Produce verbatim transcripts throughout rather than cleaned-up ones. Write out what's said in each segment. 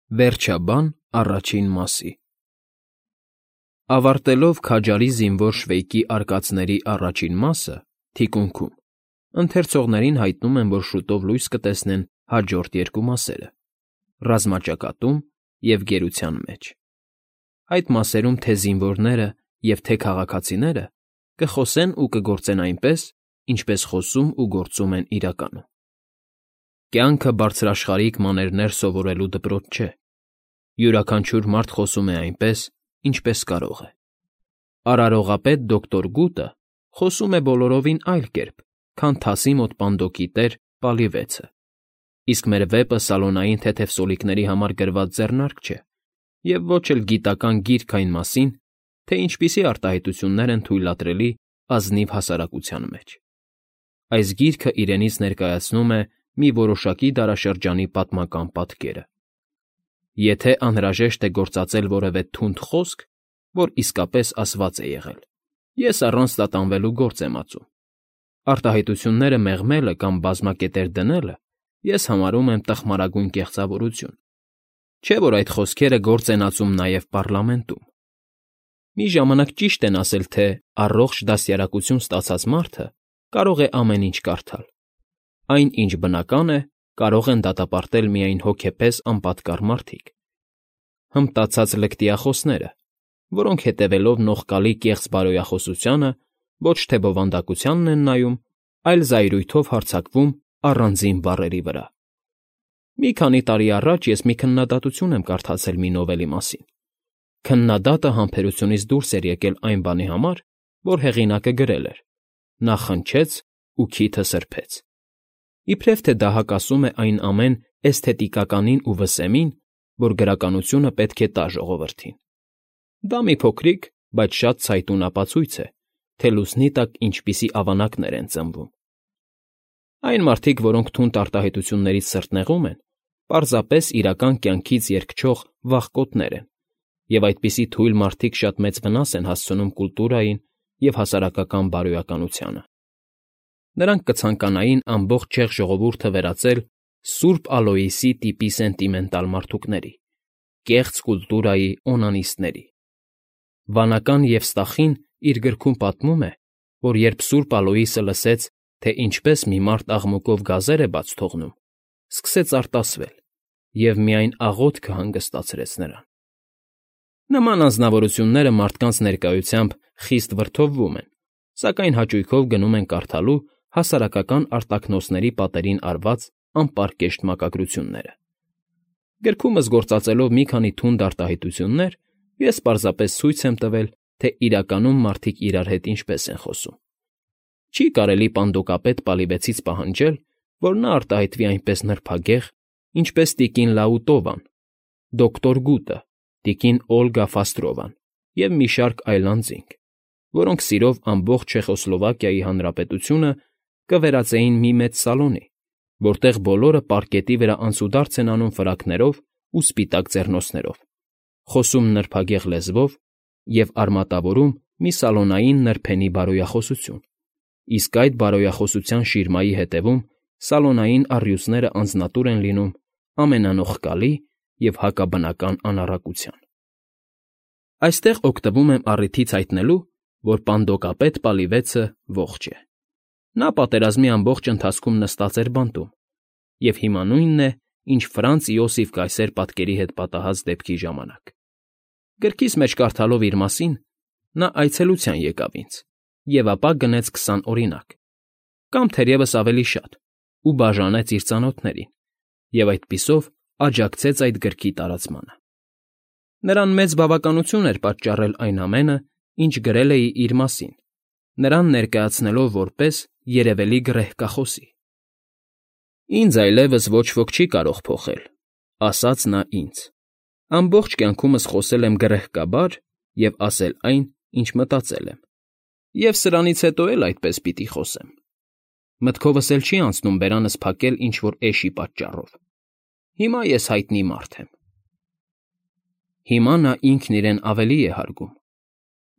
Վերջաբան առաջին մասի Ավարտելով քաջարի զինվոր Շվեյկի արկածների առաջին մասը, թիկունքում, ընթերցողներին հայտնում եմ, որ շուտով լույս կտեսնեն հաջորդ երկու մասերը՝ «Ռազմաճակատում» և «Գերության մեջ»։ Այդ մասերում թե՛ զինվորները և թե՛ քաղաքացիները կխոսեն ու կգործեն այնպես, ինչպես խոսում ու գործում են իրականում։ Կյանքը բարձրաշխարհիկ մաներներ սովորելու դպրոց չէ։ Յուրաքանչյուր մարդ խոսում է այնպես, ինչպես կարող է։ Արարողապետ դոկտոր Գուտը խոսում է բոլորովին այլ կերպ, քան թասի մոտ պանդոկի տեր Պալիվեցը, իսկ մեր վեպը սալոնային թեթև սոլիկների համար գրված ձեռնարկ չէ և ոչ էլ գիտական գիրք այն մասին, թե ինչպիսի արտահայտություններ են թույլատրելի ազնիվ հասարակության մեջ։ Այս գիրքը իրենից ներկայացնում է մի որոշակի դարաշրջանի պատմական պատկերը։ Եթե անհրաժեշտ է գործածել որևէ թունդ խոսք, որ իսկապես ասված է եղել, ես առանց տատանվելու գործ եմ ածում։ Արտահայտությունները մեղմելը կամ բազմակետեր դնելը ես համարում եմ տխմարագույն կեղծավորություն, չէ՞ որ այդ խոսքերը գործ են ածում նաև պառլամենտում։ Մի ժամանակ ճիշտ են ասել, թե առողջ դաստիարակություն ստացած մարդը կարող է ամեն ինչ կարդալ։ Այն, ինչ բնական է, կարող են դատապարտել միայն հոգեպես անպատկառ մարդիկ։ Հմտացած լկտիախոսները, որոնք հետևելով նողկալի կեղծ բարոյախոսությանը ոչ թե բովանդակությանն են նայում, այլ զայրույթով հարձակվում առանձին բառերի վրա։ Մի քանի տարի առաջ ես մի քննադատություն եմ կարդացել մի նովելի մասին։ Քննադատը համբերությունից դուրս էր եկել այն բանի համար, որ հեղինակը գրել էր. նա խնչեց ու քիթը սրբեց։ Իբրև թե դա հակասում է այն ամեն էսթետիկականին ու վսեմին, որ գրականությունը պետք է տա ժողովրդին։ Դա մի փոքրիկ, բայց շատ ցայտուն ապացույց է, թե լուսնի տակ ինչպիսի ավանակներ են ծնվում։ Այն մարդիկ, որոնք թունդ արտահայտություններից սրտնեղում են, պարզապես իրական կյանքից երգչող վախկոտներ են, և այդպիսի թույլ մարդիկ շատ մեծ վնաս են հասցնում կուլտուրային և հասարակական բարոյականությանը։ Նրանք կցանկանային ամբողջ չեխ ժողովուրդը վերածել Սուրբ Ալոյսի տիպի սենտիմենտալ մարդուկների, կեղծ կուլտուրայի օնանիստների։ Վանական Եվստախին իր գրքում պատմում է, որ երբ Սուրբ Ալոյսը լսեց, թե ինչպես մի մարդ աղմուկով գազեր է բաց թողնում, սկսեց արտասվել և միայն աղոթքը հանգստացրեց նրան։ Նման անձնավորությունները մարդկանց ներկայությամբ խիստ վրդովվում են, սակայն հաճույքով գնում են կարդալու հասարակական արտաքնոսների պատերին արված անպարկեշտ մակագրությունները։ Գրքումս գործածելով մի քանի թունդ արտահայտություններ, ես պարզապես ցույց եմ տվել, թե իրականում մարդիկ իրար հետ ինչպես են խոսում։ Չի կարելի պանդոկապետ Պալիվեցից պահանջել, որ նա արտահայտվի այնպես նրբագեղ, ինչպես տիկին Լաուտովան, դոկտոր Գուտը, տիկին Օլգա Ֆաստրովան և մի շարք այլ անձինք, որոնք սիրով ամբողջ Չեխոսլովակիայի հանրապետությունը կվերածեին մի մեծ սալոնի, որտեղ բոլորը պարկետի վրա անցուդարձ են անում ֆրակներով ու սպիտակ ձեռնոցներով, խոսում նրբագեղ լեզվով և արմատավորում մի սալոնային նրբենի բարոյախոսություն, իսկ այդ բարոյախոսության շիրմայի հետևում սալոնային առյուծները անձնատուր են լինում ամենանողկալի և հակաբնական անառակության։ Այստեղ օգտվում եմ առիթից հայտնելու, որ պանդոկապետ Պալիվեցը ողջ է։ Նա պատերազմի ամբողջ ընթացքում նստած էր բանտում, և հիմա նույնն է, ինչ Ֆրանց Իոսիֆ կայսեր պատկերի հետ պատահած դեպքի ժամանակ։ Գրքիս մեջ կարդալով իր մասին՝ նա այցելության եկավ ինձ և ապա գնեց քսան օրինակ, կամ թերևս ավելի շատ, ու բաժանեց իր ծանոթներին, և այդպիսով աջակցեց այդ գրքի տարածմանը։ Նրան մեծ բավականություն էր պատճառել այն ամենը, ինչ գրել էի իր մասին, նրան ներկայացնելով որպես երևելի գռեհկախոսի։ «Ինձ այլևս ոչ ոք չի կարող փոխել,֊ ասաց նա ինձ,֊ ամբողջ կյանքումս խոսել եմ գռեհկաբար և ասել այն, ինչ մտածել եմ, և սրանից հետո էլ այդպես պիտի խոսեմ։ Մտքովս էլ չի անցնում բերանս փակել ինչ֊որ էշի պատճառով։ Հիմա ես հայտնի մարդ եմ»։ Հիմա նա ինքն իրեն ավելի է հարգում։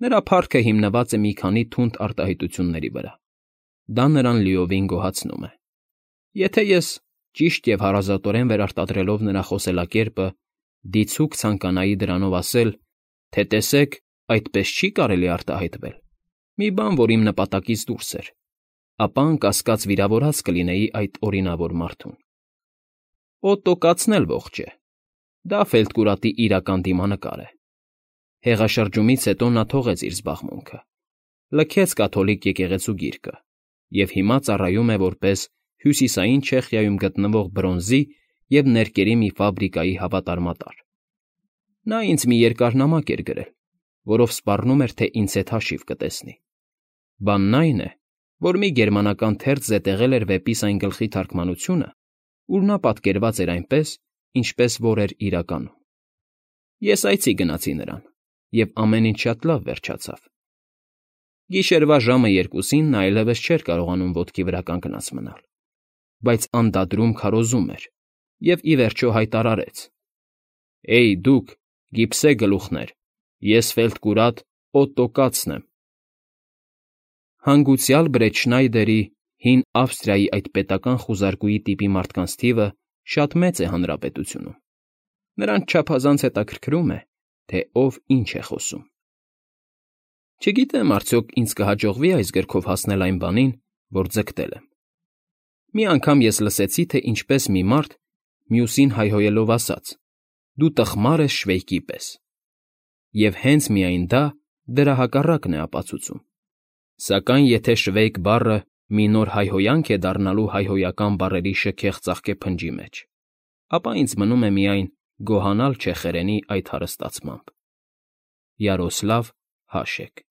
Նրա փառքը հիմնված է մի քանի թունդ արտահայտությունների վրա։ Դա նրան լիովին գոհացնում է։ Եթե ես, ճիշտ և հարազատորեն վերարտադրելով նրա խոսելակերպը, դիցուք ցանկանայի դրանով ասել, թե տեսեք, այդպես չի կարելի արտահայտվել, մի բան, որ իմ նպատակից դուրս էր, ապա անկասկած վիրավորած կլինեի այդ օրինավոր մարդուն։ Օտո կացն էլ ողջ է, դա Ֆելդկուրատի իրական դիմանկար է։ Հեղաշրջումից հետո նա թողեց իր զբաղմունքը, լքեց կաթոլիկ եկեղեցու գիրկը և հիմա ծառայում է որպես Հյուսիսային Չեխիայում գտնվող բրոնզի և ներկերի մի ֆաբրիկայի հավատարմատար։ Նա ինձ մի երկար նամակ էր գրել, որով սպառնում էր, թե ինձ հետ հաշիվ կտեսնի։ Բանն այն է, որ մի գերմանական թերթ զետեղել էր վեպիս այն գլխի թարգմանությունը, ուր նա պատկերված էր այնպես, ինչպես որ էր իրականում։ Ես այցի գնացի նրան, և ամեն ինչ շատ լավ վերջացավ։ Գիշերվա ժամը երկուսին նա այլևս չէր կարողանում ոտքի վրա կանգնած մնալ, բայց անդադրում քարոզում էր և, ի վերջո, հայտարարեց. «Էյ, դուք, գիպսե գլուխներ, ես Ֆելդկուրատ Օտո կացն եմ»։ Հանգուցյալ Բրեթշնայդերի, հին Ավստրիայի այդ պետական խուզարկուի տիպի մարդկանց թիվը շատ մեծ է հանրապետությունում, նրանց չափազանց հետաքրքրում է, թե ով ինչ է խոսում։ Չգիտեմ, արդյոք ինձ կհաջողվի այս գրքով հասնել այն բանին, որ ձգտել եմ։ Մի անգամ ես լսեցի, թե ինչպես մի մարդ, մյուսին հայհոյելով ասաց. «Դու տխմար ես շվեյկի պես», և հենց միայն դա դրա հակառակն է ապացուցում։ Սակայն եթե շվեյք բառը մի նոր հայհոյանք է դառնալու հայհոյական բառերի շքեղ ծաղկեփնջի մեջ, ապա ինձ մնում է միայն գոհանալ չեխերենի այդ հարստացմամբ։ Յարոսլավ Հաշեք։